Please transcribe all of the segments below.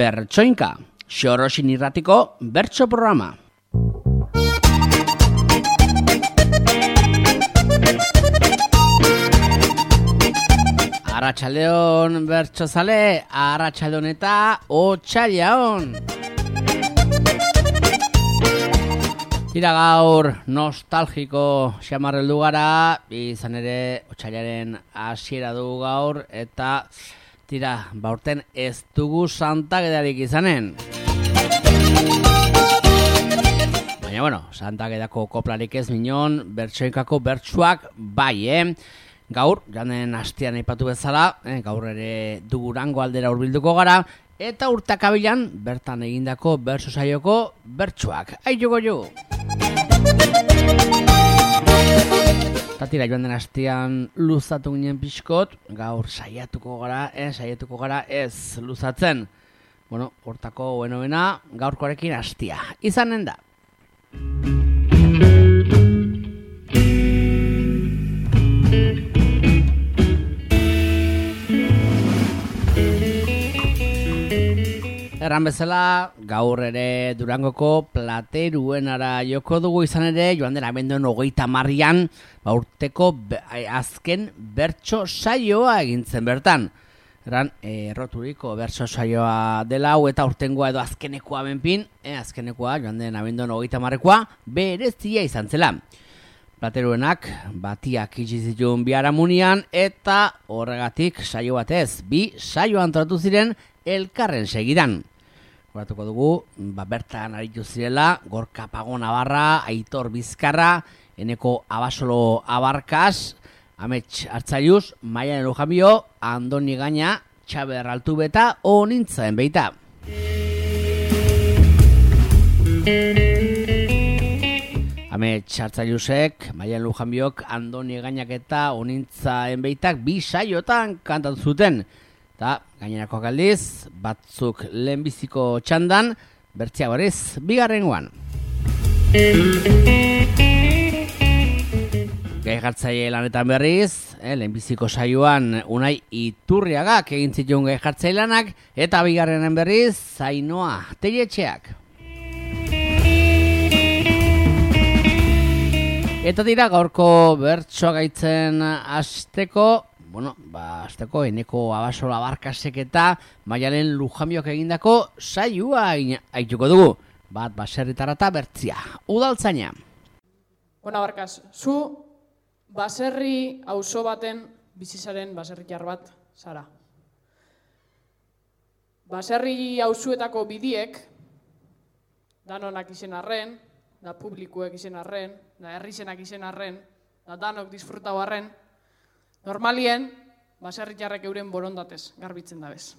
Bertsoinka, Xorosin irratiko bertso programa. Arratsaldeon bertsozale, arratsaldeon eta otsaileon. Tira gaur nostalgiko xamarreldu gara, izan ere otsailaren hasiera dugu gaur, eta tira, baurten ez dugu Santagedarik izanen. Baina bueno, Santagedako koplarik ez minon, bertsoinkako bertsuak bai, Gaur, janen hastian aipatu bezala, gaur ere Durango aldera hurbilduko gara, eta urtakabilan bertan egindako bertso saioko bertsuak. Aio goio! Tatira joan den hastian luzatu ginen pixkot, gaur saiatuko gara ez luzatzen. Bueno, hortako buena gaurkoarekin hastia. Izanen da. Erran bezala, gaur ere Durangoko Plateruenara joko dugu, izan ere, joan den abenduan 30 urteko azken bertso saioa egintzen bertan. Erran, erroturiko bertso saioa dela hau eta urtengoa edo azkenekoa benpin, azkenekoa joan den abenduan 30koa berezia izan zela. Plateruenak batiak itxizitun biharamunian eta horregatik saio batez, 2 saio antolatu ziren elkarren segidan. Horatuko dugu, bertan aritu zirela, Gorka Pago Navarra, Aitor Bizkarra, Eneko Abasolo Abarkas, Amets Artzaiuz, Maialen Lujambio, Andoni Gaina, Txaber Altubeta, Onintzaen beita. Amets Artzaiuzek, Maialen Lujambiok, Andoni Gainak eta Onintzaen beitak 2 saiotan kantatu zuten. Eta gainerako aldiz, batzuk lehenbiziko txandan, bertzia berriz, 2. Gai jartzaile lanetan berriz, lehenbiziko saioan Unai Iturriagak egin zituen gai jartzaile lanak, eta 2. berriz, Zainoa Telletxeak. Eta dira gaurko bertsoa gaitzen hasteko, azteko Eneko Abasolo Abarkasek eta Maialen Lujambiok egindako saioa aituko dugu. Bat baserritarra eta bertzia. Udaltzaina. Abarkas, zu baserri auzo baten bizizaren baserritar bat zara. Baserri auzuetako bidiek, danonak izen arren, da publikuek izen arren, da herrizenak izen arren, da danok disfrutau arren, normalien, baserritarrek euren borondatez garbitzen dabez.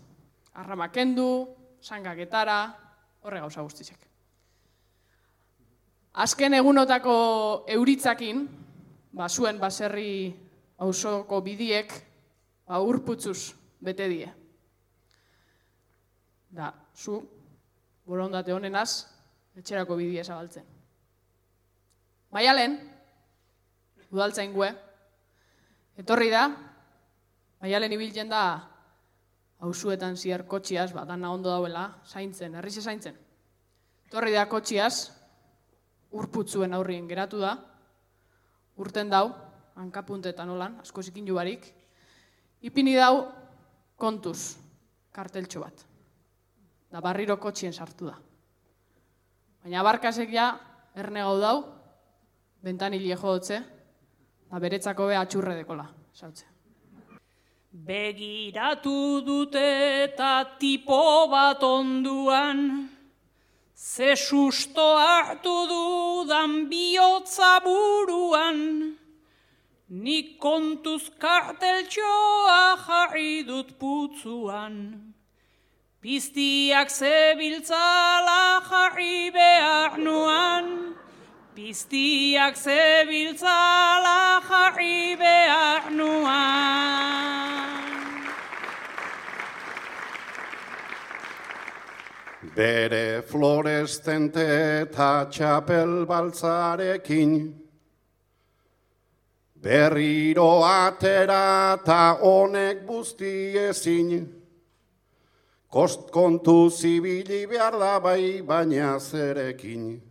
Arrama kendu, sangaketara, horre gauza guztizek. Azken egunotako euritzakin, zuen baserri auzoko bidiek, urputzuz bete die. Da, zu, borondate honenaz, etxerako bidie zabaltzen. Maialen, udaltzain gue, etorri da, Maialen ibiltzen da auzuetan ziar kotxiaz, dana ondo dauela, zaintzen, herrize zaintzen. Etorri da kotxiaz, urputzuen aurrien geratu da, urten dau, hankapuntetan olan, asko zikin jubarik, ipini dau kontuz, karteltxo bat. Da barriro kotxien sartu da. Baina Abarkasek ja, erne gau dau, bentanile jodotze, beretzako be atxurre dekola, sautze. Begiratu dute eta tipo bat onduan, ze susto hartu dudan bihotza buruan, nik kontuz karteltxoa jarri dut putzuan, piztiak zebiltzala jarri behar nuan, piztiak zebiltzala jarri behar nuan. Bere florestente eta txapel baltzarekin, berriro atera eta honek busti ezin, kontu zibili behar da bai, baina zerekin.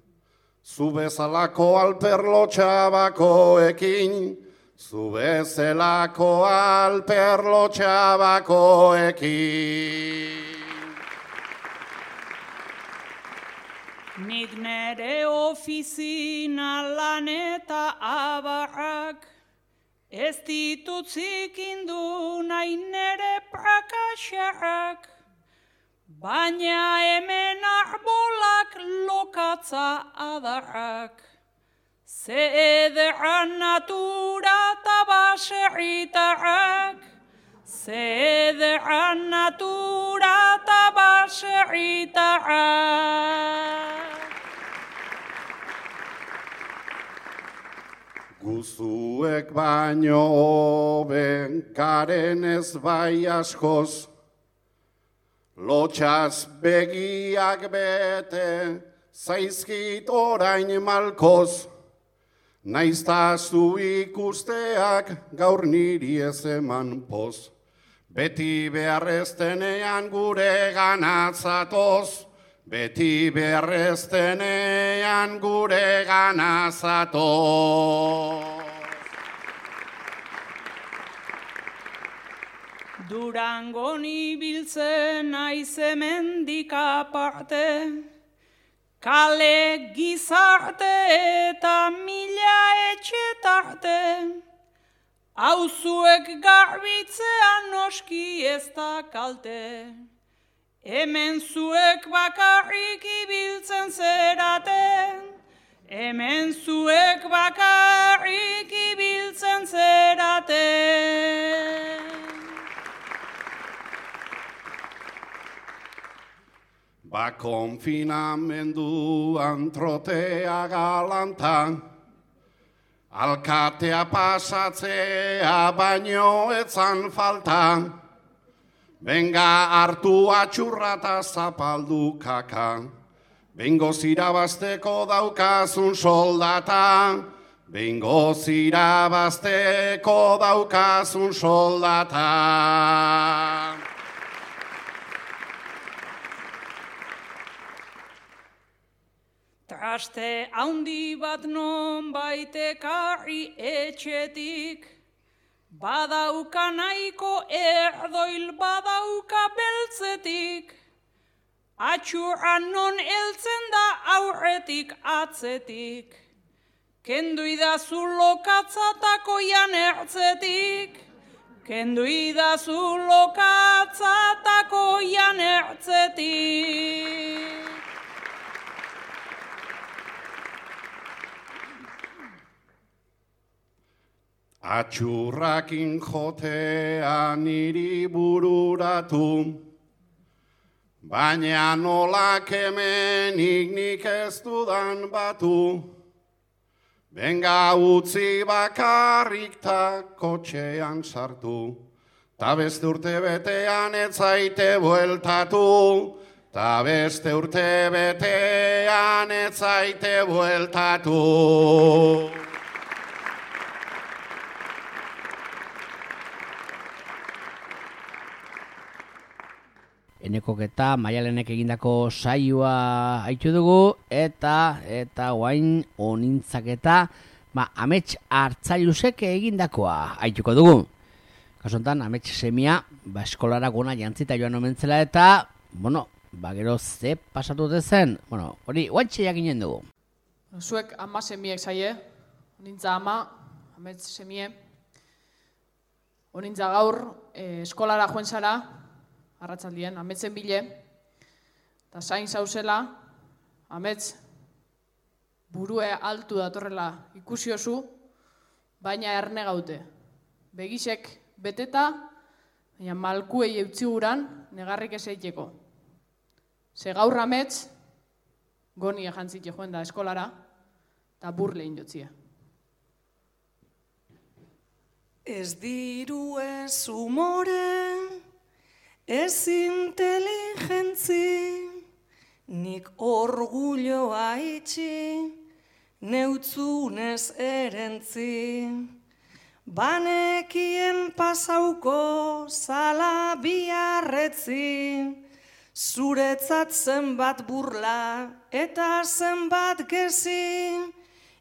Zu bezalako alperlo txabakoekin, zu bezalako alperlo txabakoekin. Nik nere ofizina lan eta abarrak, ez ditut zikindu nahi nere prakaxarrak, baina hemen arbolak lokatza adarrak. Ze ederran natura eta baserritarrak, ze ederran natura eta baserritarrak. Guzuek baino hoben garen ez bai askoz, lotxaz begiak bete zaizkit orain malkoz, naizta zu ikusteak gaur niri ez eman poz. Beti beharreztenean gure ganatzatoz, beti beharreztenean gure ganatzatoz. Durangon ibiltzen naiz hemendik aparte, kale gizarte eta mila etxe tarte, auzuek garbitzean noski ez da kalte, hemen zuek bakarrik ibiltzen zerate, hemen zuek bakarrik ibiltzen zerate. Ba konfinamenduan trotea galantan, alkatea pasatzea baino etzan faltan, benga hartu atxurra eta zapaldu kaka, bengo zirabazteko daukazun soldata, bengo zirabazteko daukazun soldata. Traste haundi bat non baitekarri etxetik, badauka nahiko erdoil badauka beltzetik, atxurra non heltzen da aurretik atzetik, kendu idazu lokatzatako jan ertzetik, kendu idazu lokatzatako jan ertzetik. Atxurrakin jotea niri bururatu, baina nolak hemenik nik ez dudan batu. Benga utzi bakarrik ta kotxean sartu, ta beste urte betean ez zaite bueltatu, ta beste urte betean ez zaite bueltatu. Enekok eta Maialenek egindako saioa haitu dugu, eta guain onintzaketa amets hartzailusek egindakoa haituko dugu. Kasontan, amets semia, eskolara gona jantzita joan omentzela eta, gero ze pasatu zen, hori guantxe jakinen dugu. Zuek ama semiek zaie, onintza ama, amets semie, onintza gaur eskolara joen zara, arratzaldien, ametzen bile, eta zain zauzela, amets burue altu datorrela ikusiozu, baina erne gaute. Begisek beteta, baina malkuei eutziguran negarrik ez eiteko. Ze gaur amets, goni jantzit joen da eskolara, eta burle indotzie. Ez diru ez umore, ez inteligentzi, nik orgulloa itxi, neutzunez erentzi. Banekien pasauko zala biarretzi, zuretzat zenbat burla eta zenbat gezi,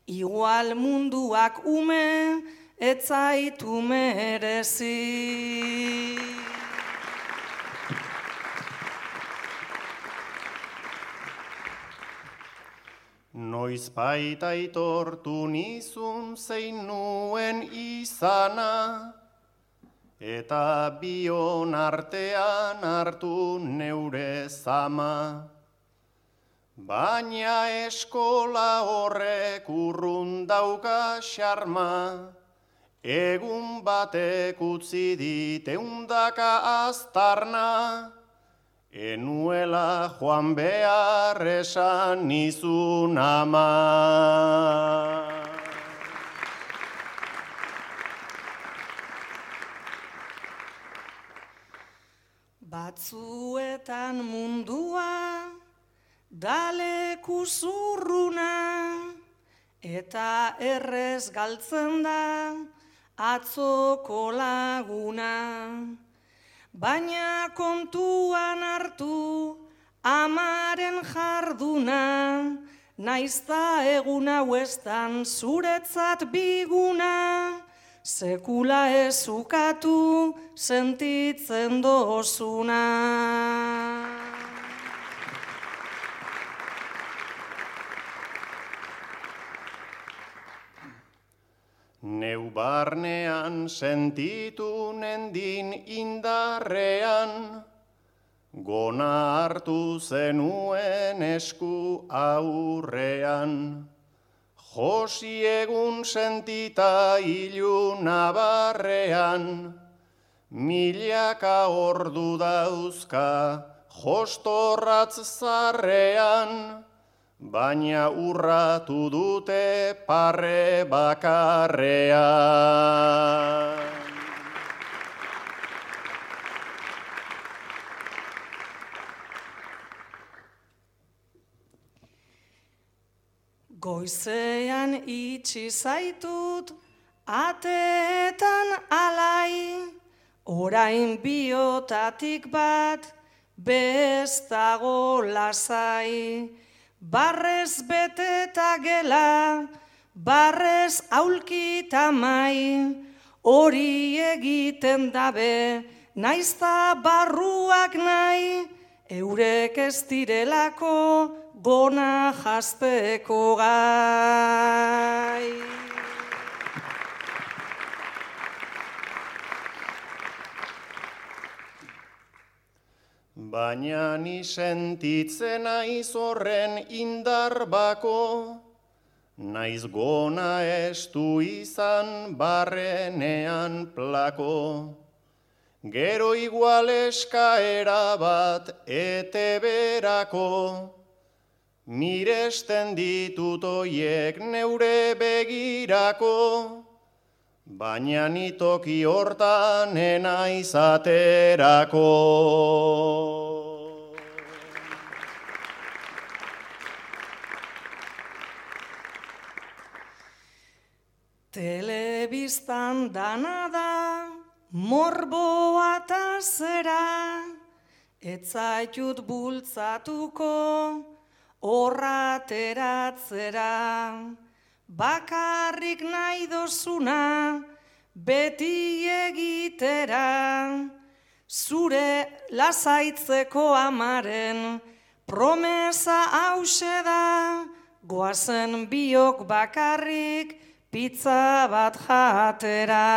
igual munduak ume etzaitu merezi. Noizbait aitortu nizun zein nuen izana, eta bion artean hartu neure zama. Baina eskola horrek urrun dauka xarma, egun batek utzi dit eundaka aztarna, enuela joan behar esan nizun ama. Batzuetan mundua daleku zurruna, eta errez galtzen da atzoko laguna. Baina kontuan hartu amaren jarduna, naizta egun hauestan zuretzat biguna, sekula ezukatu sentitzen dozuna. Neu barnean sentitu nendin indarrean, gona hartu zenuen esku aurrean. Josi egun sentita ilun abarrean, milaka ordu dauzka jostorratz zarrean, baina urratu dute parre bakarrean. Goizean itxi zaitut ateetan alai, orain biotatik bat bestago lasai. Barrez beteta gela, barrez aulkita mai, hori egiten dabe, naizta barruak nahi, eurek ez direlako gona jazteko gai. Baina ni sentitzen naiz horren indar bako, naiz gona estu izan barrenean plako. Gero igual eskaera bat eteberako, miresten ditut oiek neure begirako, baina ni toki hortan enaiz aterako. Telebistan dana da, morboa eta zera, etzaitut bultzatuko horrateratzera. Bakarrik nahi dozuna beti egitera, zure lasaitzeko amaren promesa hause da, goazen biok bakarrik pizza bat jatera.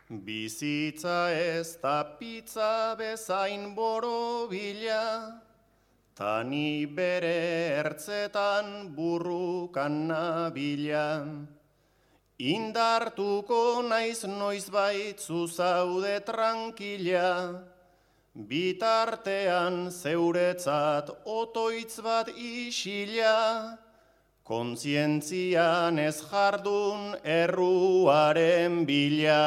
Bizitza ez da pizza bezain borobila, tani bere ertzetan burrukan nabila. Indartuko naiz noizbait zu zaude trankila, bitartean zeuretzat otoitz bat isila, kontzientzian ez jardun erruaren bila.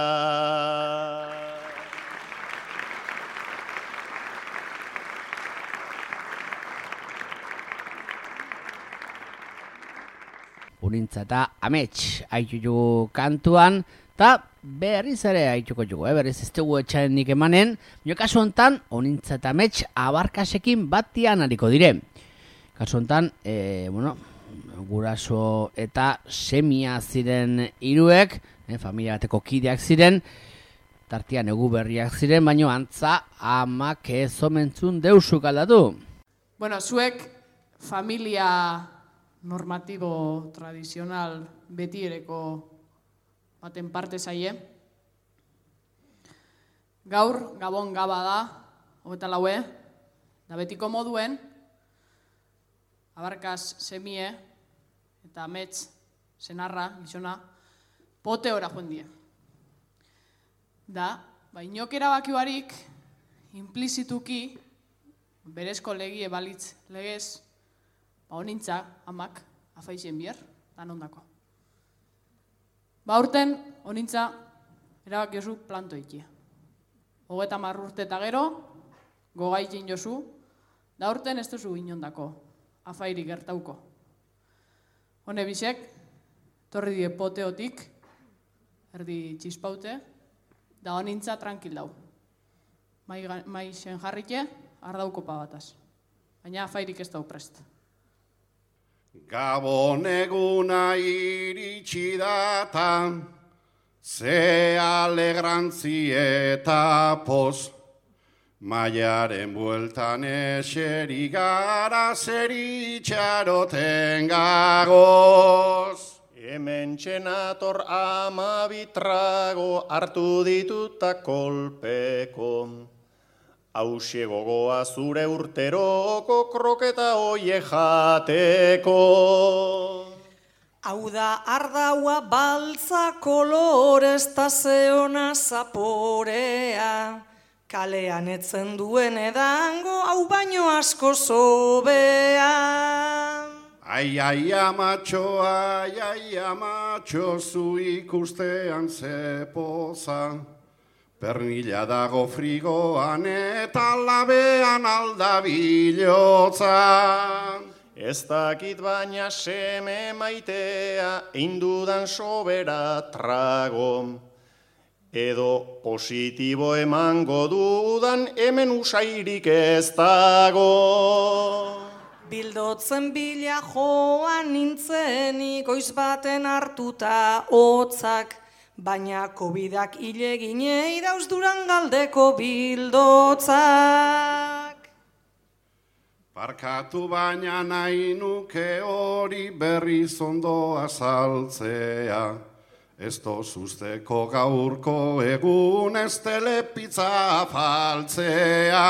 Unintza eta amets haitugu kantuan, eta berriz ere haituko jugu, berriz ez dugu etxarenik emanen, jo kasu hontan, Unintza eta amets abarkasekin batian hariko dire. Kasu hontan, guraso eta semia ziren hiruek, familia bateko kideak ziren, tartian egu berriak ziren, baino antza amak ez omentzun deusuk aldatu. Bueno, zuek familia normatibo tradizional betiereko baten parte zaie. Gaur, Gabon Gaba da, 24, da betiko moduen, abarkaz semie eta amets senarra, gizona, pote ora joan die. Da, inok erabaki barik, implizituki, berezko legie balitz legez, honintza amak afaizien bier, dan ondako. Urten, honintza erabaki jozu planto ikia. 30 urte eta gero, gogaitin jozu, da urten ez duzu inondako, afairik gertauko. Hone bisek, torri die poteotik, erdi txispaute, da honintza tranquil dau. Mai sen jarrike, ardauko pabataz. Baina afairik ez dau prest. Gabon eguna iritsi data, ze alegrantzi eta poz, maiaren bueltan eseri gara zer itxaroten gagoz. Hemen txenator 12 trago hartu dituta kolpeko. Hauxe gogoa zure urteroko kroketa oie jateko. Hau da ardaua baltza kolorez ta zeona zaporea, kalean etzen duen edango hau baino asko zobea. Ai, amatxo, zu ikustean zepoza, pernila dago frigoan eta labean aldabilotza. Ez dakit baina seme maitea, indudan sobera trago. Edo positibo emango dudan, hemen usairik ez dago. Bildotzen bila joan nintzenik goiz baten hartuta hotzak, baina COVID-ak hileginei dauz Durangaldeko bildotzak. Barkatu baina nahi nuke hori berriz ondo azaltzea, ez dozuzteko gaurko egun ez telepizza afaltzea.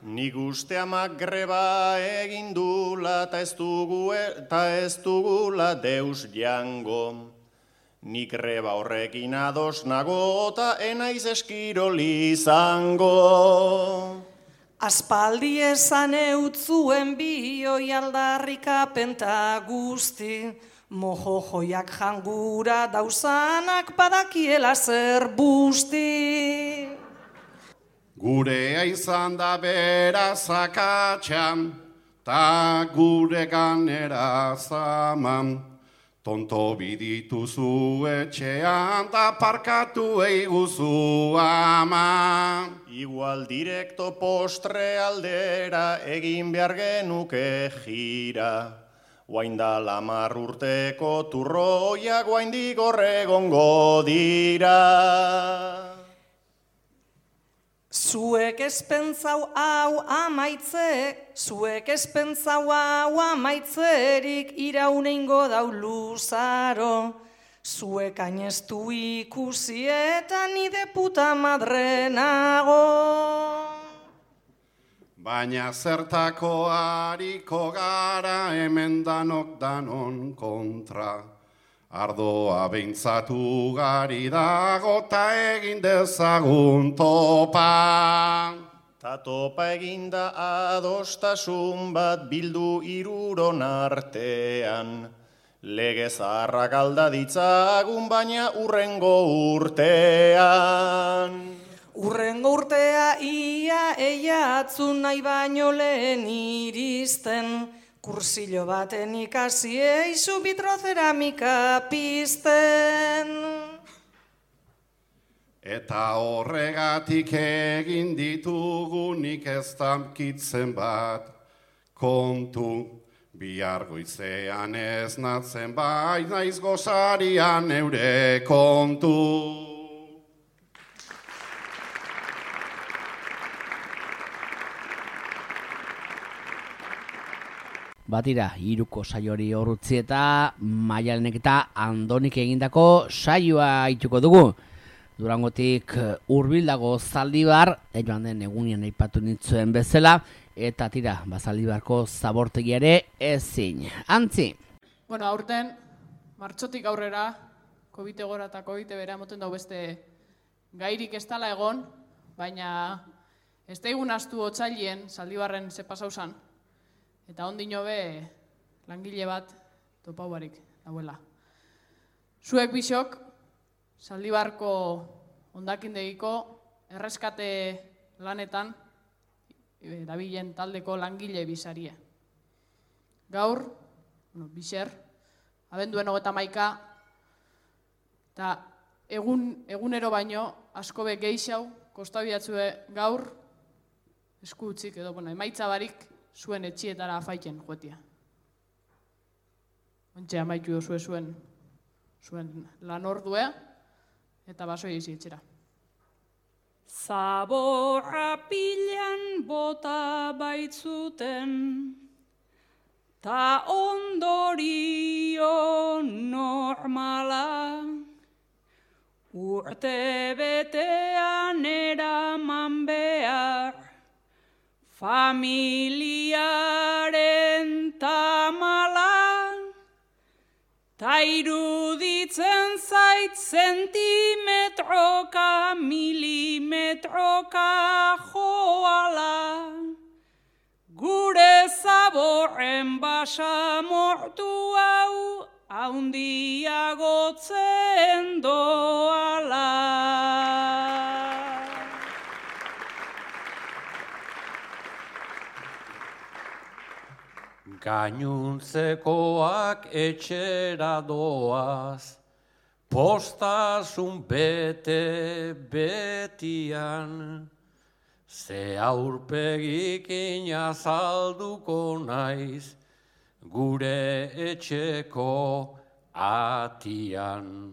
Nik uste amak greba egin dula eta ez dugula deus jango. Nik greba horrekin ados nago eta enaiz eskirol izango. Aspaldi esan eutzuen bioi aldarrikapenta guzti, mojo joiak jangura dauzanak badakiela zer busti. Gurea izan da beraz akatxan, ta gure ganera zaman. Tonto bidituzu etxean, ta parkatu eiguzu ama. Igual direkto postre aldera egin behar genuke jira. Oainda 10 urteko turroiak oaindik horregongo dira. Zuek espentzau hau amaitzerik irauneingo dau luzaro. Zuek ainestu ikusi eta nide puta madre nago. Baina zertako hariko gara hemen danok danon kontra. Ardoa behintzatu gari dago ta egin dezagun topa. Ta topa eginda adostasun bat bildu hiruron artean. Lege zaharrak alda ditzagun baina urrengo urtean. Urrengo urtea ia eiatzun nahi baino lehen iristen, Kursillo baten ikasi eizu vitroceramika pizten. Eta horregatik egin ditugunik ez damkitzen bat kontu. Bihar goizean ez natzen bai naiz gozarian eure kontu. Batira, hiruko saiori horutzi eta Maialenek eta Andonik egindako saioa ituko dugu. Durangotik hurbildago Zaldibar, joan den egunian aipatu nintzuen bezala, eta tira, Zaldibarko zabortegia ere ezin. Antzi. Bueno, aurten, martxotik aurrera, COVID egora eta COVID bera emoten dau beste gairik ez dala egon, baina ez da egun astu otsailien Zaldibarren ze pasau zan, eta ondino be langile bat topau barik dauela. Zuek bisok, Zaldibarko hondakindegiko erreskate lanetan dabilen taldeko langile bizarie. Gaur, biser, abenduen 31, eta egunero baino asko be geixau kostabiatzue gaur esku utzik edo emaitza barik zuen etxietara afaitzen joetia. Ontxe amaitu dozue zuen lan ordue, eta basoi ezi etxera. Zaborra pilan bota baitzuten, ta ondorio normala, urte betean eraman behar, familiaren tamala, ta iruditzen zait zentimetroka, milimetroka joala, gure zaborren basa mortu hau, haundiagotzen doala. Gainuntzekoak etxera doaz, postasun bete betian, ze aurpegikin azalduko naiz, gure etxeko atian.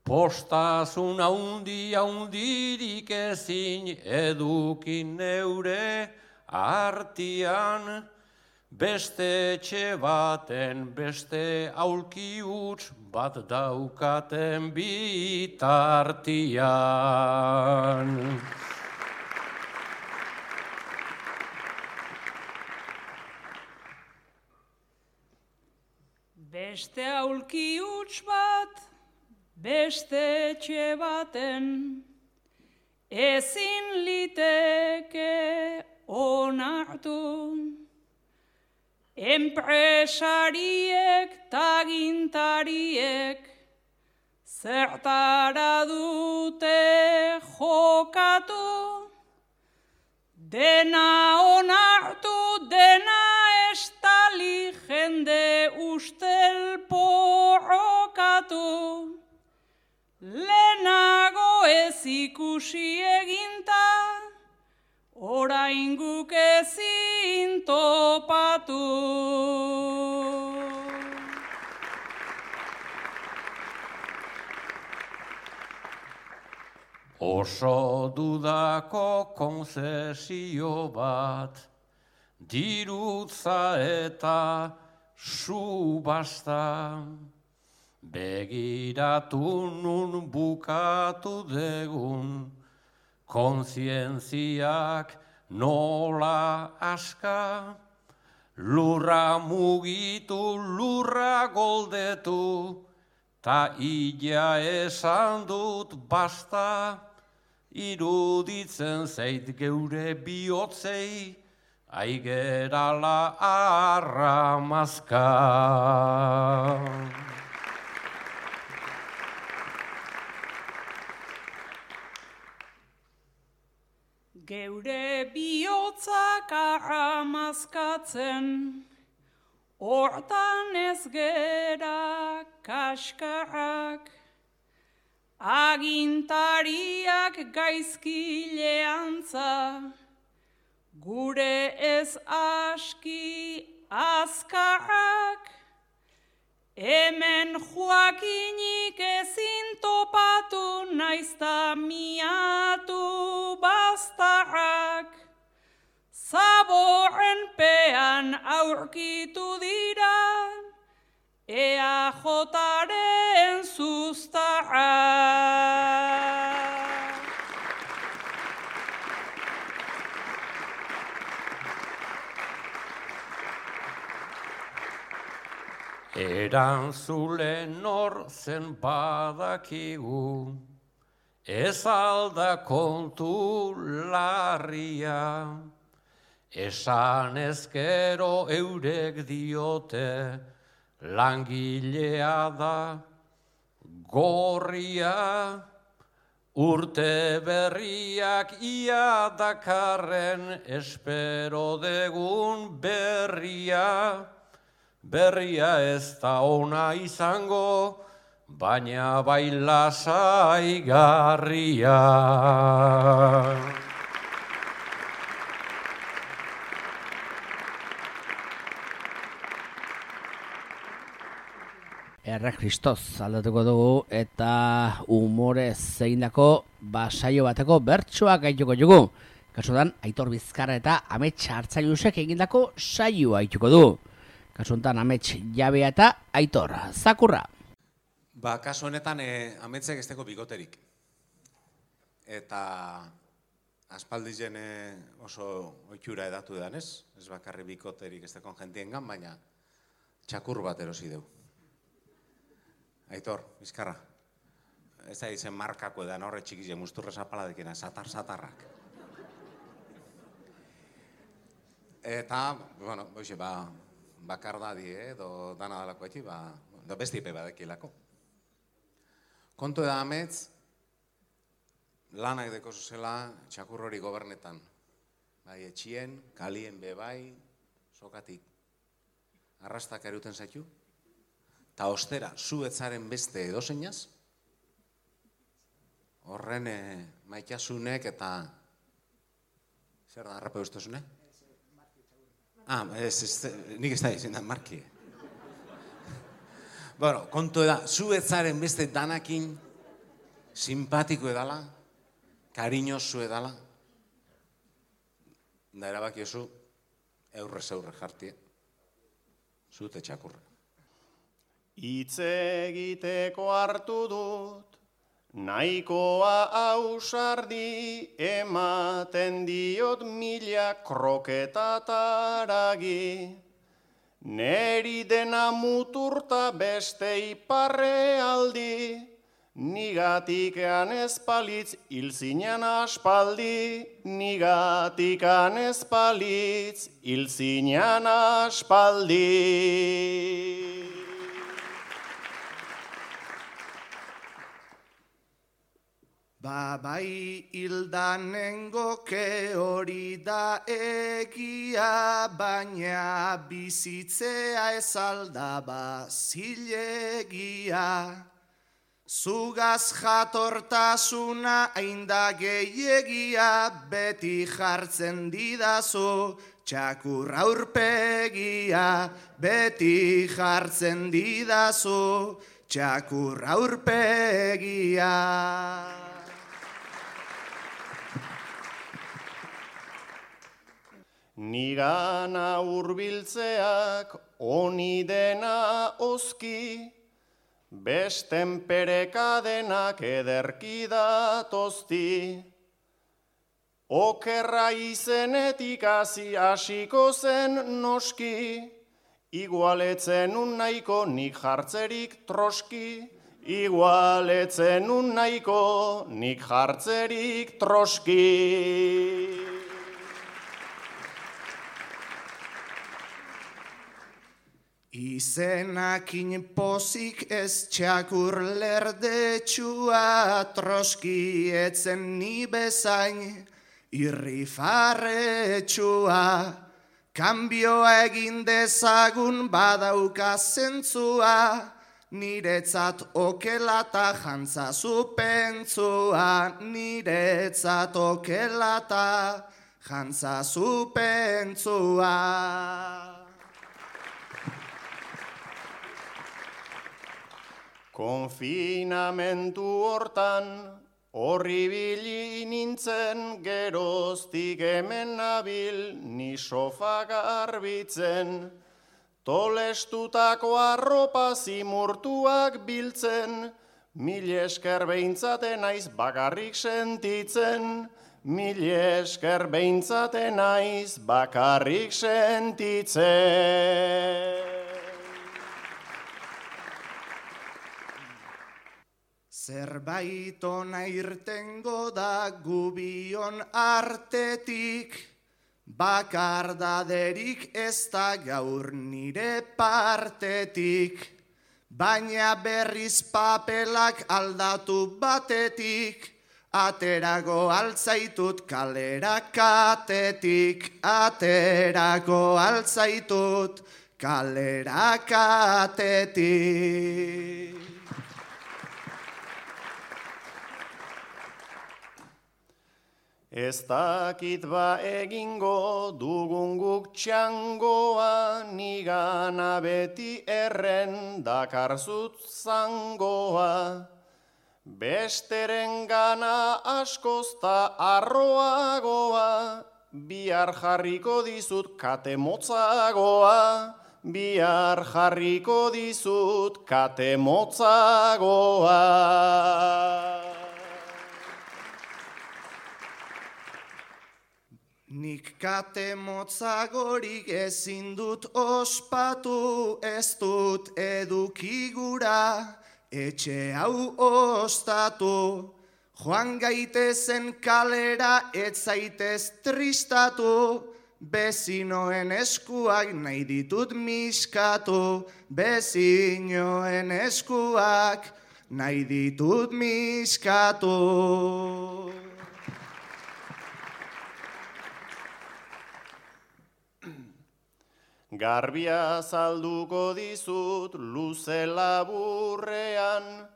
Postasun haundirik ezin edukin neure artian, beste etxe baten, beste aulki huts bat daukaten bitartian. Beste aulki huts bat, beste etxe baten, ezin liteke onartu. Enpresariek tagintariek zertara dute jokatu, dena onartu, dena estali, jende ustel porrokatu, lehenago ez ikusi eginta, orain guk ezin topatu. Oso dudako konzesio bat, dirutza eta subasta, begiratu nun bukatu degun, kontzientziak nola aska, lurra mugitu, lurra goldetu, ta illa esan dut basta, iruditzen zait geure bihotzei, aigerala arramazka. Geure bihotzak arramazkatzen, hortan ez gera kaskarrak, agintariak gaizkile antza, gure ez aski azkarrak, hemen Joakinik ezin topatu naizta miatu bastarrak, zaborren pean aurkitu dira, EAJaren zuztarrak. Erantzule nor zen badakigu, ez alda kontu larria, esan ezkero eurek diote, langilea da gorria, urte berriak ia dakarren espero degun berria, berria ez da ona izango, baina bai lasaigarria. Erre Kristoz aldatuko dugu eta humorez egindako saio bateko bertsoak gaituko dugu. Kasutan, Aitor Bizkarra eta Amets Hartzailusek egindako saioa gaituko du. Kasuntan Amets Jabea eta Aitor Zakurra. Kasu honetan Ametsek esteko bigoterik. Eta aspaldizen oso ohitura edatu edan ez bakarri bikoterik esteko jentiengan, baina txakur bat erosi deu. Aitor, Bizkarra, ez da izen markako edan horre txikize musturre zapaladekena, satarrak. Eta, bueno, bakardadi edo dana dalako eti, bestipe badekilako. Kontu da Amets, lanak deko zuzela txakur hori gobernetan. Bai, etxien, kalien bebai, sokatik arrastak eruten zaitu. Ta ostera, zu etzaren beste edozeinaz, horren maitasunek eta... Zer da, harrape ustezune? Nik ez da izin da, marki. Bueno, kontu da, zu etzaren beste danakin simpatiko edala, kariñosu edala, da erabaki oso eurre jartie, zute txakurra. Hitz egiteko hartu dut, nahikoa ausardi, ematen diot mila kroketataragi. Neri dena muturta beste iparre aldi, nigatikan ezpalitz hilzinan aspaldi, nigatikan ezpalitz hilzinan aspaldi. Bai hildanengoke hori da egia, baina bizitzea ez aldaba zilegia. Zugaz jatortasuna ainda gehiagia, beti jartzen didazu txakur aurpegia, beti jartzen didazu txakur aurpegia. Nigana hurbiltzeak honi dena oski, besten perekadenak ederki datozti. Okerra izenetik hasiko zen noski, igualetzen nahiko nik jartzerik troski, igualetzen nahiko nik jartzerik troski. Izenakin pozik ez txakur lerdetxua, troski etzen ni bezain irrifarretxua. Kanbioa egin dezagun badauka zentzua, niretzat okelata jantzazu pentsua, niretzat okelata jantzazu pentsua. Konfinamentu hortan, horribili nintzen, geroztik hemen nabil, ni sofa garbitzen. Tolestutako arropa zimurtuak biltzen, mil esker behintzaten naiz bakarrik sentitzen. Mil esker behintzaten naiz bakarrik sentitzen. Zerbait ona irtengo da gubion artetik, bakardaderik ez da gaur nire partetik, baina berriz papelak aldatu batetik, aterago altzaitut kalera katetik, aterago altzaitut kalera katetik. Ez dakit ba egingo dugun guk txangoa, nigana beti erren dakarzut zangoa. Besteren gana askozta arroagoa, bihar jarriko dizut kate motzagoa. Bihar jarriko dizut kate motzagoa. Nik kate motzagorik ezin dut ospatu, ez dut edukigura, etxe hau ostatu. Joan gaitezen kalera ez zaitez tristatu, bezinoen eskuak nahi ditut miskatu, bezinoen eskuak nahi ditut miskatu. Garbia zalduko dizut luze laburrean,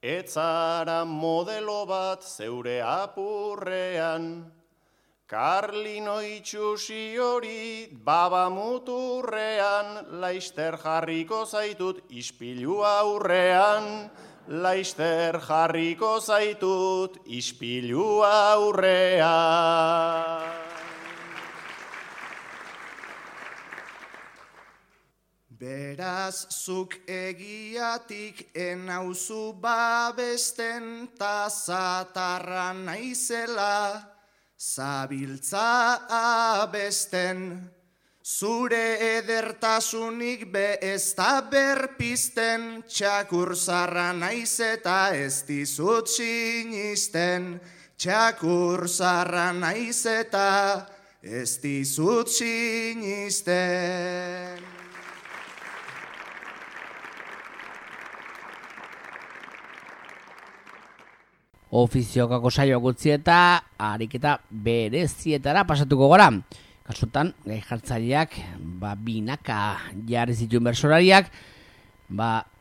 etzara modelo bat zeure apurrean. Karlino itxusi hori baba muturrean, laister jarriko zaitut ispilu aurrean. Laister jarriko zaitut ispilu aurrean. Beraz, zuk egiatik enauzu babesten, ta zatarra naizela, zabiltza abesten. Zure edertasunik be ez da berpizten, txakur zarra naiz eta ez dizut sinisten. Txakur zarra naiz eta ez dizut sinisten. Ofiziokako saioak utzi eta ariketa berezietara pasatuko gara. Kasutan, gai jartzaileak, binaka jarri zituen bersolariak,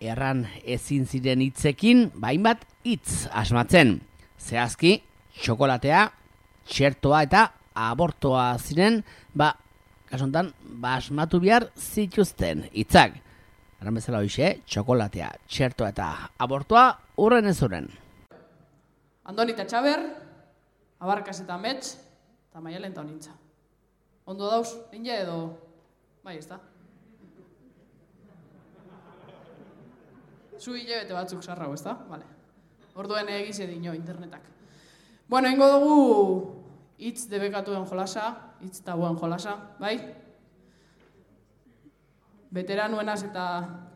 erran ezin ziren hitzekin, hainbat hitz asmatzen. Zehazki, txokolatea, txertoa eta abortoa ziren, kasutan, asmatu behar zituzten hitzak. Erran bezala hoxe, txokolatea, txertoa eta abortoa urren ez urren. Andoni eta Txaber, Abarkas eta Mets, eta Maialen eta Onintza. Ondo dauz, inge edo... Bai, ez da? Zu hilabete batzuk sarrau, ez da? Vale. Orduen egize dino internetak. Bueno, ingo dugu hitz debekatuen jolasa, hitz tabuen jolasa, bai? Veteranuenaz eta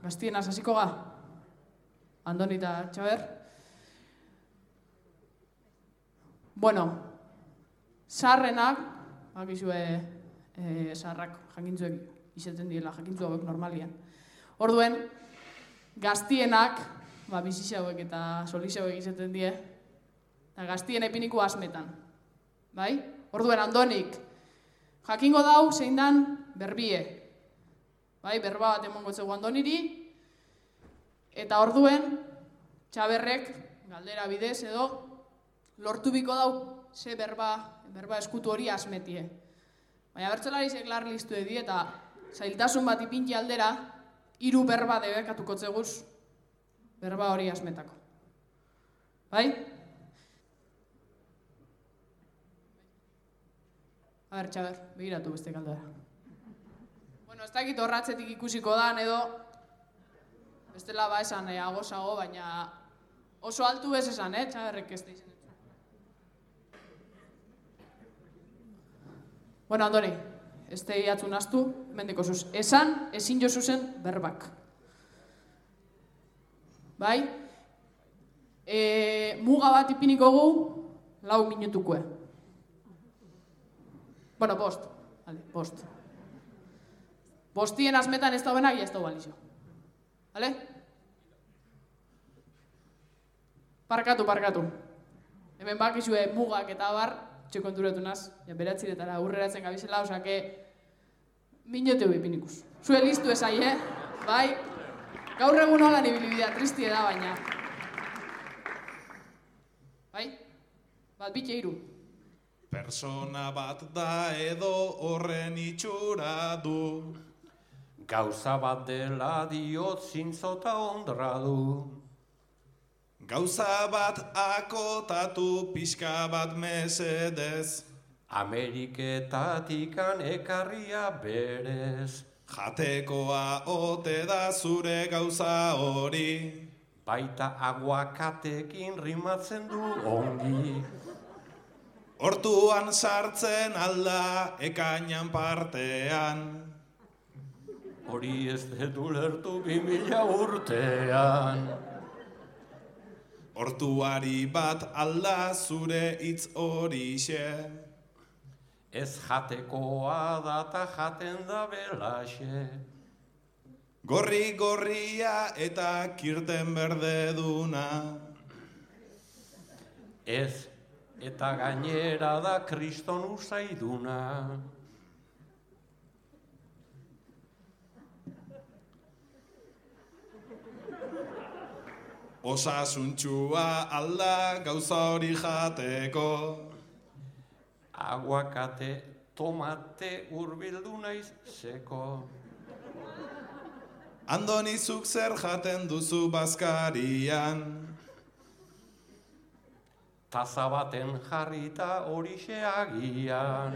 gaztienaz hasiko ga? Andoni eta Txaber? Bueno, sarrenak, bakizue sarrak jakintzuek izaten diela, jakintzu hauek normalian. Orduen, gaztienak, bizixe hauek eta solixe hauek izaten die, eta gaztien epiniko asmetan. Bai? Orduen, Andonik, jakingo dau zein dan berbie. Bai, berba bat emongo zego Andoniri, eta orduen, Txaberrek, galdera bidez edo, lortu biko dau, ze berba eskutu hori asmetie. Baina bertsolariek lar listu edi eta zailtasun bat ipinti aldera, 3 berba debekatuko zeguz, berba hori asmetako. Bai? A ber, Txaber, begiratu beste galdera. Bueno, ez dakit horratzetik ikusiko dan edo, bestela ba esan agosago, baina oso altu bez esan, Txaberrek ez da izan. Bueno, Andoni, ez da iatzun astu, mendiko zuz. Esan, ezin jo zuzen berbak. Bai? Muga bat ipiniko gu, 4 minutukue. Bueno, bost. Vale, bost. Bostien azmetan ez da benak, ez da balizio. Vale? Parkatu. Hemen bakizue mugak eta bar, txekonturatu naz, beratziretara aurreratzen gabizela, osake, minuteu ipinikuz. Zue listu ezai, Bai, gaur egun holan ibilibidea, tristie da, baina. Bai? Bat bitxe 3. Persona bat da edo horren itxura du. Gauza bat dela diot zintzota ondra du. Gauza bat akotatu pixka bat mesedez. Ameriketatikan ekarria berez. Jatekoa ote da zure gauza hori. Baita aguakatekin rimatzen du ongi. Hortuan sartzen alda ekainan partean. Hori ez dedu lertu 2000 urtean. Hortuari bat alda zure hitz horixe. Ez jatekoa da ta jaten da belaxe. Gorria eta kirten berde duna. Ez, eta gainera da kriston usaiduna. Osasuntxua alda gauza hori jateko. Aguakate, tomate urbildu naiz seko. Andoni zuk zer jaten duzu bazkarian. Taza baten jarrita horixe agian.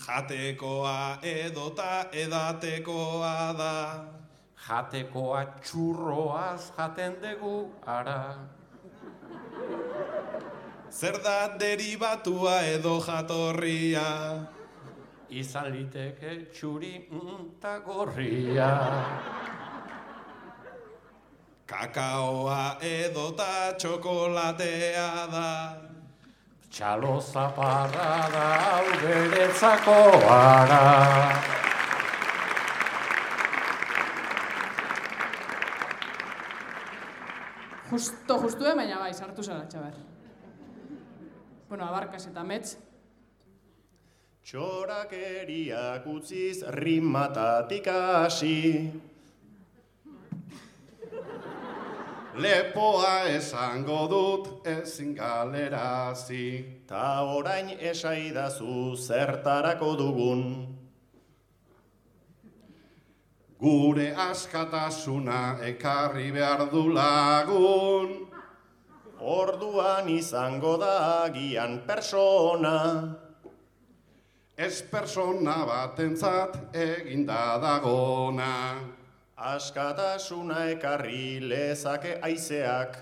Jatekoa edota edatekoa da. Jatekoa txurroaz jaten dugu ara. Zer da deribatua edo jatorria? Izan liteke txuri eta gorria. Kakaoa edota txokolatea da. Txalo zaparra da hau beretzako ara. Justu baina bai, sartu zara, Txaber. Bueno, abarkas eta metz. Txorakeriak utziz rimatatik hasi. Lepoa esango dut ezin galerazi. Ta orain esaidazu zertarako dugun. Gure askatasuna ekarri behar du lagun. Orduan izango da agian persona. Ez persona batentzat eginda dagona. Askatasuna ekarri lezake haizeak.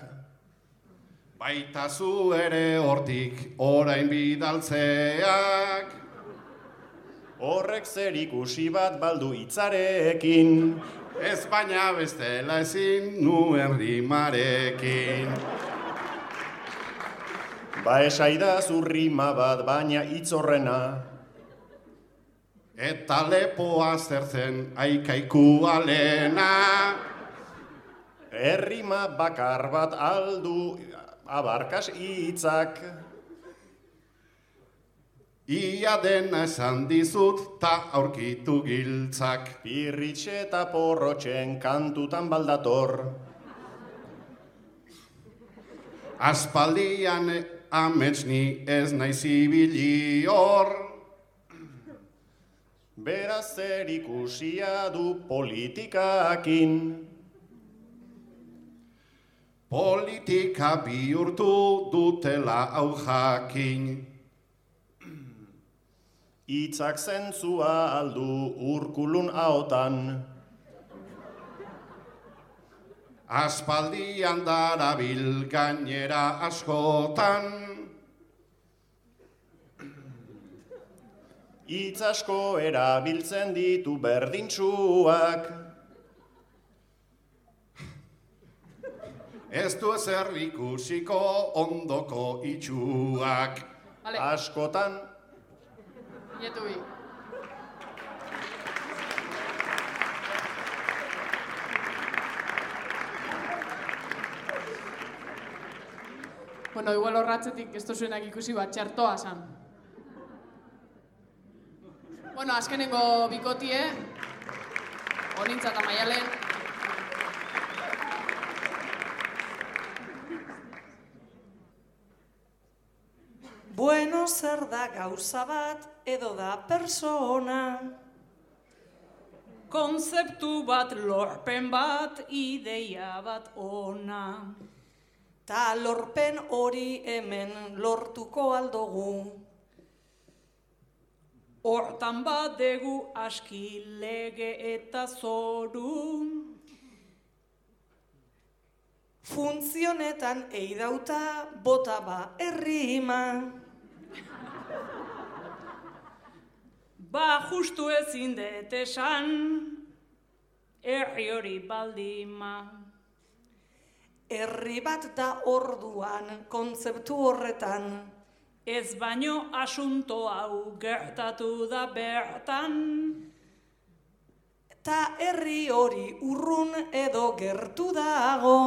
Baita zu ere hortik orain bidaltzeak. Horrek zer ikusi bat baldu hitzarekin. Ez baina bestela ezin nuen rimarekin. Ba esaidazu rima bat baina hitz horrena. Eta lepoa zertzen aikaiku alena. Errima bakar bat aldu abarkas hitzak. Ia dena esan dizut ta aurkitu giltzak. Pirritxe eta porrotxen kantutan baldator. Aspaldian amets ni ez naiz ibili hor. Beraz zer ikusia du politikakin. Politika bihurtu dutela hau jakin. Hitzak zentzua aldu Urkulun ahotan. Aspaldian darabil gainera askotan. Hitz asko erabiltzen ditu berdintsuak. Ez du ezer ikusiko ondoko itxuak. Vale. Askotan. Nietu bi. Bueno, igual horratzetik ez zuenak ikusi bat txertoa zan. Bueno, azkenengo bikotie, Onintza eta Maialen. Bueno, zer da gauza bat edo da persona? Konzeptu bat, lorpen bat, ideia bat ona. Ta lorpen hori hemen lortuko aldogu. Hortan badegu aski lege eta zoru. Funtzionetan eidauta bota ba errima. Ba justu ezin dut esan, herri hori baldima. Herri bat da orduan kontzeptu horretan. Ez baino asunto hau gertatu da bertan. Ta herri hori urrun edo gertu dago.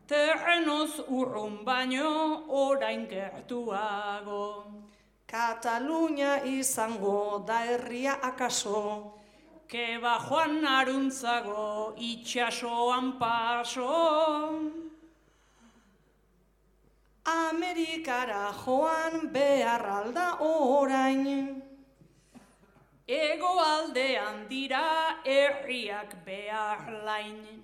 Terrenoz urrun baino orain gertuago. Katalunia izango da herria akaso. Keba joan aruntzago itxasoan paso. Amerikara joan behar alda orain. Ego aldean dira herriak behar lain.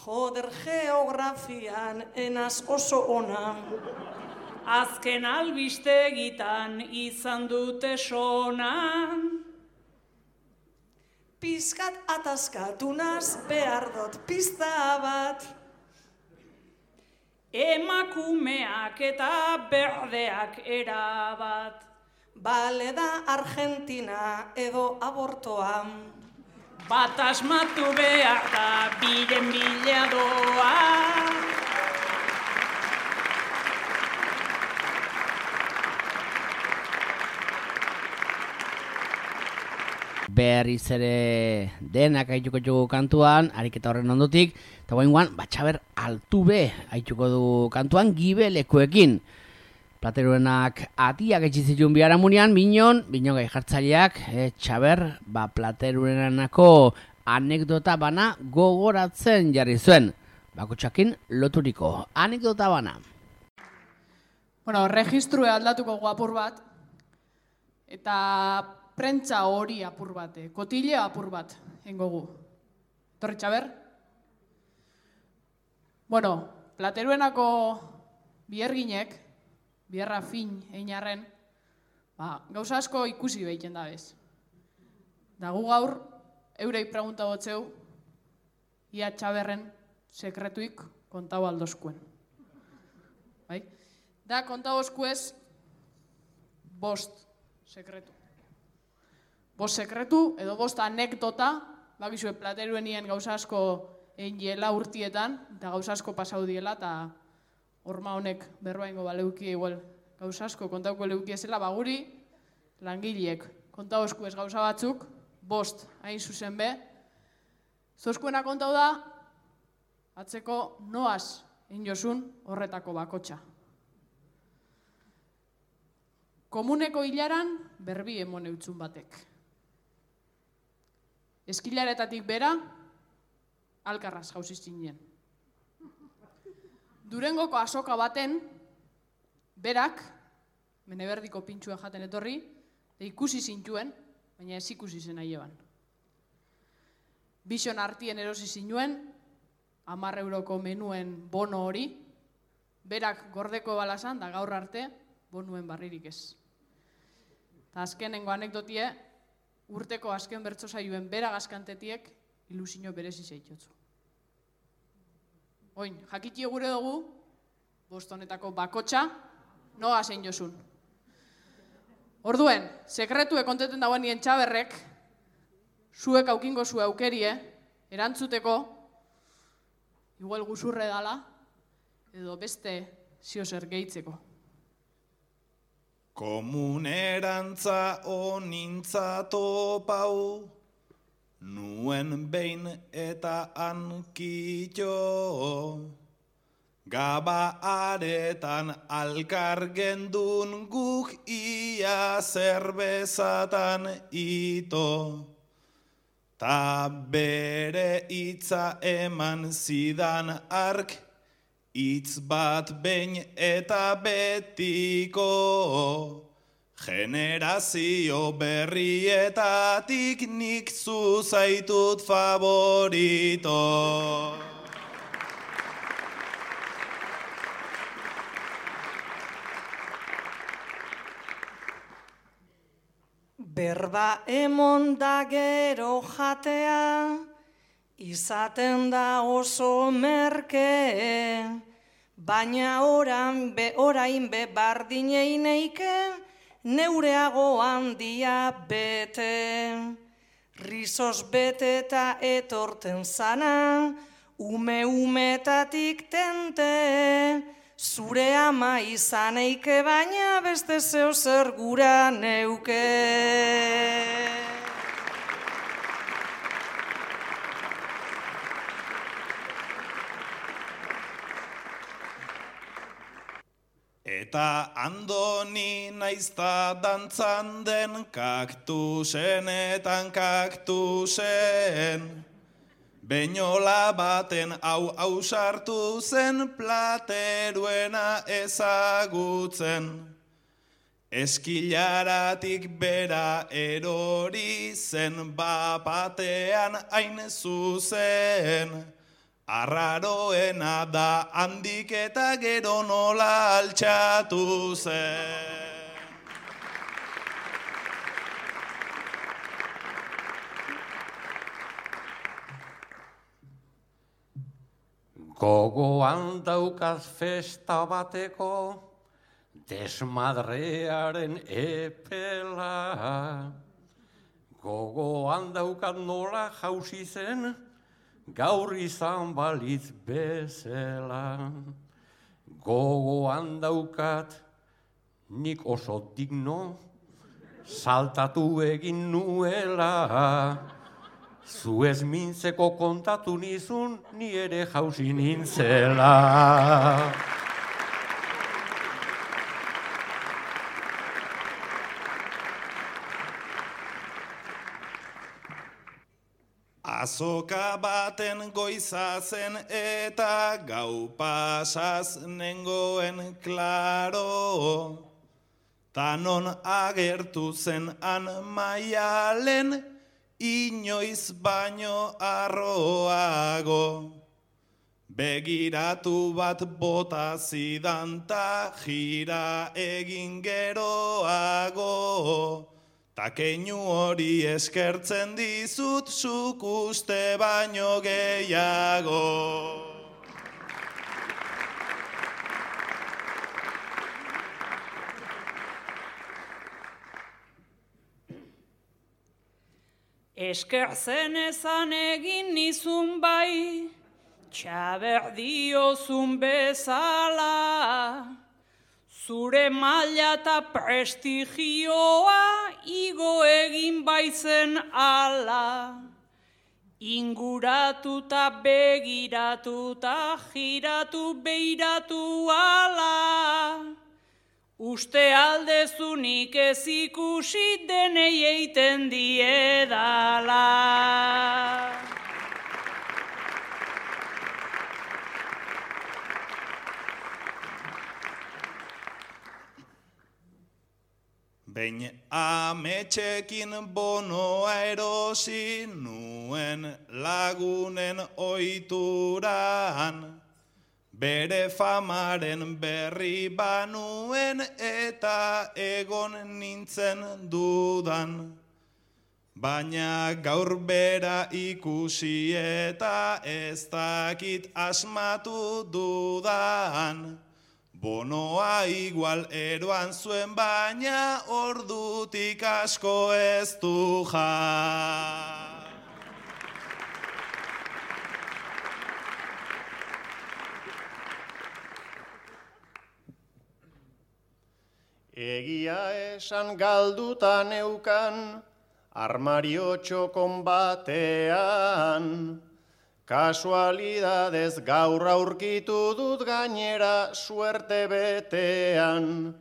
Joder, geografian enaz oso ona. Azken albistegitan izan dute sona. Pizkat ataskatu naz behar dut pizta bat. Emakumeak eta berdeak erabat. Bale da Argentina edo abortoa. Bat asmatu behar da biren bila doa. Berriz ere denak aituko dugu kantuan, ariketa horren ondotik, eta guaingoan, Batxaber Altube aituko du kantuan gibelekoekin. Plateruenak atiak etxizitun biharamunean, binon gai jartzaileak, Txaber, Plateruenako anekdota bana gogoratzen jarri zuen. Bakotxakin loturiko anekdota bana. Bueno, registrua aldatuko guapur bat, eta prentza hori apur bat, kotile apur bat, engogu. Torri Txaber? Bueno, Plateruenako bierginek, bierra fin einarren, gauza asko ikusi behiten da bez. Da gu gaur, eurei pregunta botzeu, ia Txaberren sekretuik kontau aldozkuen. Bai? Da kontau oskuez, 5 sekretu. 5 sekretu edo 5 anekdota, bakizue Plateruenien gauza asko egin diela urtietan, eta gauza asko pasau diela, eta horma honek berbaingo baleuki igual gauza asko kontauko leuki ezela, guri langileek kontau eskuez gauza batzuk, 5 hain zuzen be, zozkuena kontau da, atzeko noaz egin jozun horretako bakotxa. Komuneko hilaran berbi emon eutzun batek. Eskilaretatik bera, alkarraz jauzi zinen. Durengoko azoka baten, berak, meneberdiko pintxua jaten etorri, ikusi zintuen, baina ez ikusi zen aieban. Bixon artien erosi zinuen, 10 euroko menuen bono hori, berak gordeko balazan, da gaur arte, bonuen barririk ez. Eta azkenengo anekdotie, urteko azken bertso saioen bera gazkantetiek ilusio berezi zeitotzu. Oin, jakitie gure dugu, bostonetako bakotxa, noa zein josun. Orduen, sekretue konteten dagoen nien txaberrek, zuek aukingo zu aukerie, erantzuteko, igual guzurre dala, edo beste ziozer gehitzeko. Komunerantza onintza topau, nuen behin eta hankitxo, gaba aretan alkar gendun guk ia zerbezatan ito, ta bere hitza eman zidan ark, hitz bat behin eta betiko, generazio berrietatik nik zuzaitut favorito. Berba emon da gero jatea, izaten da oso merke, baina orain be bardineike, neureago handia bete. Rizos bete eta etorten zana, ume-umetatik tente, zure ama izaneike baina beste zeo zer gura neuke. Eta Andoni naizta dantzan den kaktusenetan kaktusen, beinola baten hau sartu zen plateruena ezagutzen. Eskilaratik bera erori zen bapatean hain zuzen, arraroena da handik eta gero nola altxatu zen. Gogoan daukaz festa bateko, desmadrearen epela. Gogoan daukat nola jauzi zen, gaur izan balitz bezala. Gogoan daukat nik oso digno, saltatu egin nuela. Zuez mintzeko kontatu nizun, ni ere jauzi nintzela. Azoka baten goiza zen eta gau pasaz nengoen klaro, tanon agertu zen han Maialen, inoiz baino arroago. Begiratu bat bota zidan ta jira egin geroago, ta keinu hori eskertzen dizut zuk uste baino gehiago. Eskertzen ezan egin nizun bai, txaber diozun bezala, zure maila eta prestigioa igo egin baizen ala. Inguratuta begiratuta giratu beiratu ala, Uste aldezunik ez ikusi denei eiten diedala. Behin ametxekin bonoa erosi nuen lagunen oituran, bere famaren berri banuen eta egon nintzen dudan. Baina gaur bera ikusi eta ez dakit asmatu dudan. Bonoa igual eroan zuen baina ordutik asko ez du jan. Egia esan galduta neukan, armario txokon batean. Kasualidadez gaur aurkitu dut gainera suerte betean.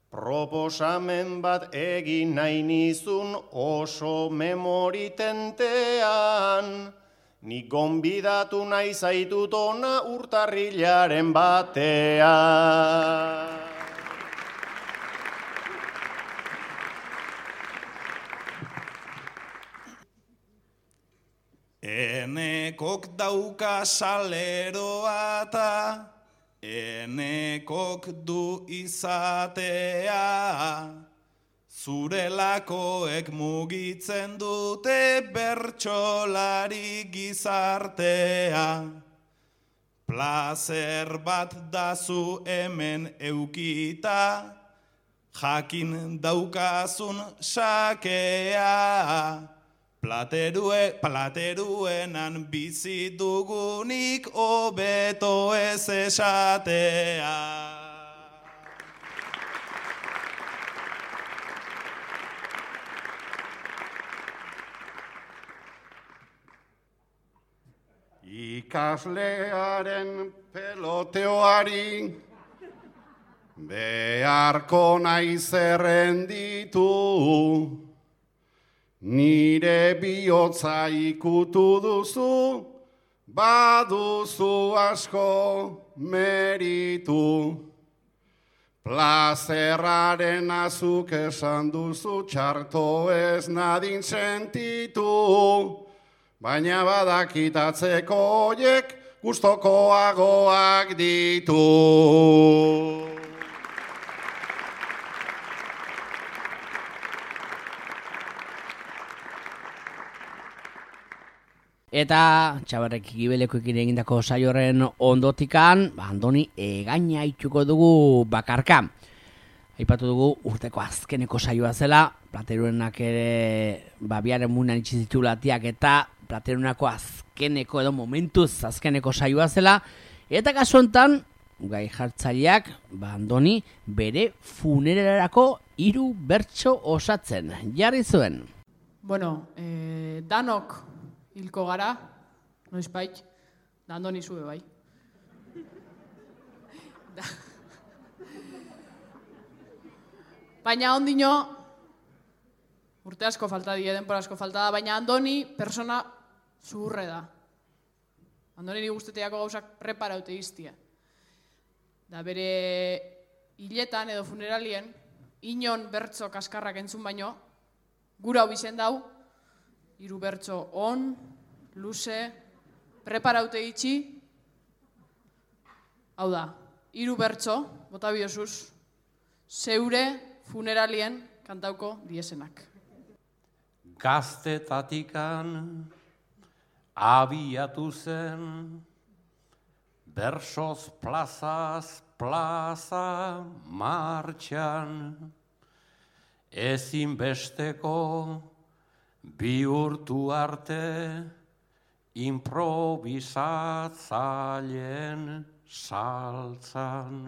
Proposamen bat egin nahi nizun oso memoritentean. Ni gonbidatu nahi zaitut ona urtarrilaren batean. Enekok dauka saleroa eta enekok du izatea. Zurelakoek mugitzen dute bertsolari gizartea. Plazer bat dazu hemen eukita, jakin daukazun sakea. Plateruenan bizi dugunik hobeto ez esatea. Ikaslearen peloteoari beharko naiz errenditu. Nire bihotza ikutu duzu, baduzu asko meritu. Plazerraren azuk esan duzu, txarto ez nadin sentitu. Baina badakitatzeko hoiek gustokoagoak ditu. Eta Txabarrek Gibelekoekin egindako saioren ondotikan, Andoni egaina itxuko dugu bakarka. Aipatu dugu urteko azkeneko saioa zela, Plateruenak ere biaren munan itxizitulatiak eta Plateruenako azkeneko edo momentuz azkeneko saioa zela. Eta kasu honetan, gai jartzaileak, Andoni bere funerarako 3 bertso osatzen jarri zuen. Bueno, danok hilko gara, noizbait, da Andoni zube bai. Baina ondino, urte asko falta die, denpora asko falta da, baina Andoni persona zuhurre da. Andoni guzteteako gauzak preparaute iztia. Da bere hiletan edo funeralien, inon bertso kaskarrak entzun baino, gura hau izen dau, 3 bertso on, luze, preparaute itxi, hau da, 3 bertso, bota biosuz, zeure funeralien kantauko diesenak. Gaztetatikan abiatu zen, bersoz plazaz plaza martxan, ezinbesteko bihurtu arte improvisatzaileen saltzan.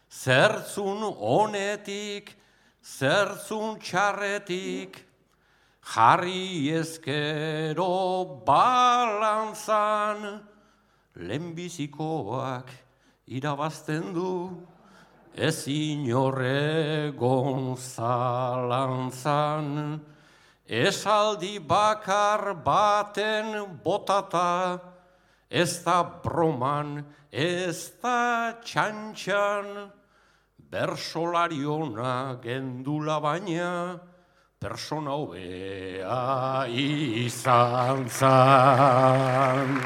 Zertzun honetik, zertzun txarretik, jarri ezkero balantzan, lehenbizikoak irabazten du ez inorregon zalantzan, esaldi bakar baten botata, ez da broman, ez da txantxan, bersolariona gendula baina, persona hobea izan zan.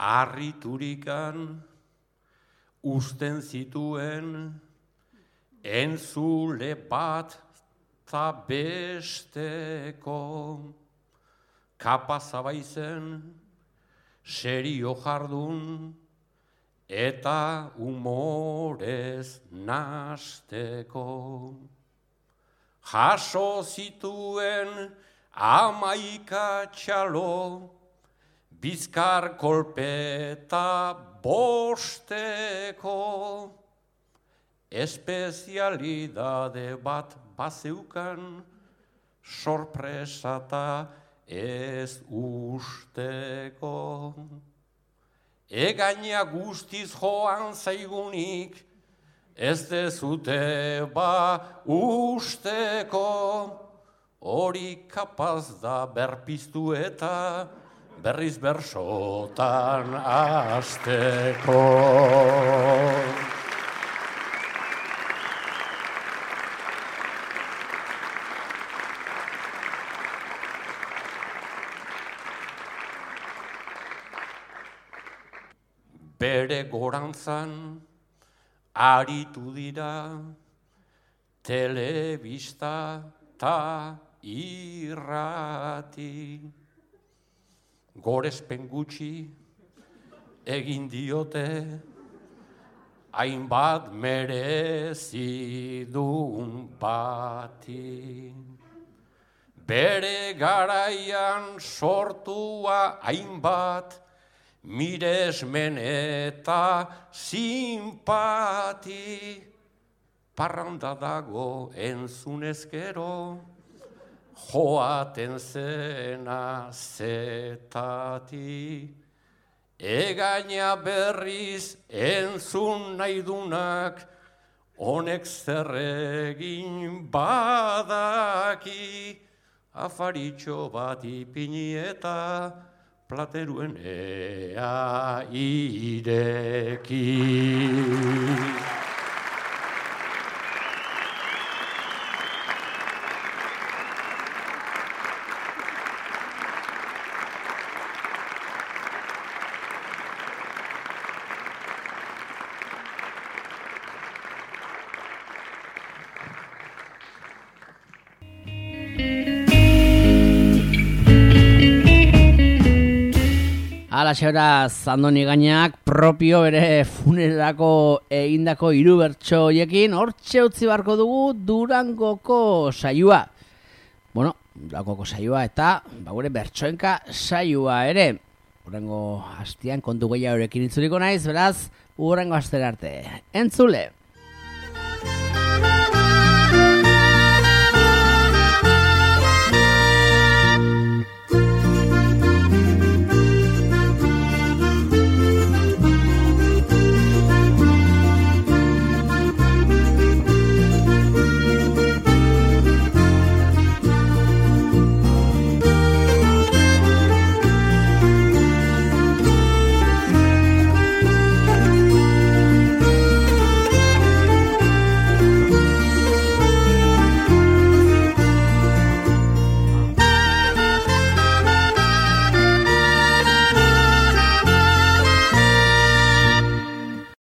Arriturikan usten zituen entzule bat ta besteko, kapaza baizen serio jardun eta humorez nasteko. Jaso zituen 11 txalo, bizkar kolpeta bosteko, espezialidade bat bazeukan, sorpresata ez usteko. Egaina guztiz joan zaigunik, ez dezute ba usteko, hori kapaz da berpiztu eta berriz bersotan azteko. Bere gorantzan aritu dira telebista ta irrati. Gorespen gutxi egin diote, hainbat merezidun bati. Bere garaian sortua hainbat, miresmen eta simpati. Parranda dago entzunezkero, joaten zena zetati. Egaina berriz entzun nahi dunak, honek zer egin badaki. Afaritxo bat ipini eta plateruen ea ireki. Alaxe beraz, Andoni Gainak propio bere funerako egindako 3 bertso hoiekin hortxe utzi beharko dugu Durangoko saioa. Bueno, Durangoko saioa eta gure bertsoenka saioa ere. Hurrengo hastian kontu gehiagorekin itzuliko naiz, beraz, hurrengo astera arte. Entzule!